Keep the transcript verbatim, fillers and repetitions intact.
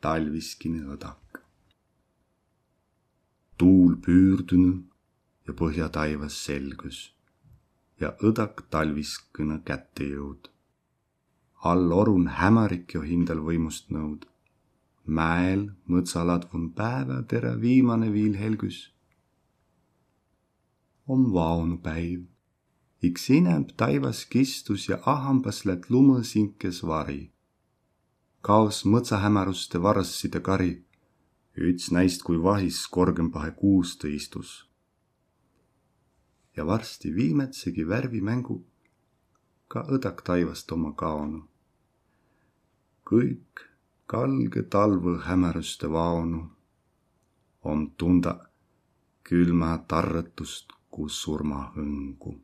Talviskine õdak. Tuul püürdünü ja Pohja taivas selgüs ja õdak talviskõnõ kätte jõud. All orun hämärik jo hindäl võimust nõud. Mäel mõtsaladvun pääväderä viimane viil helgüs. Om vaonu päiv. Iks inämb taivas kistus ja ahambas lät lumõ sinkes vari. Kaos mõtsahämäruste varasside kari. Üts näist kui vahis korgõmbahe kuustõ istus. Ja varsti viimädsegi värvimängu ka õdak taivast oma kaonu. Kõik galgõ talvõ hämärüste vaonu om tunda külmä tarrõtust ku surmahõngu.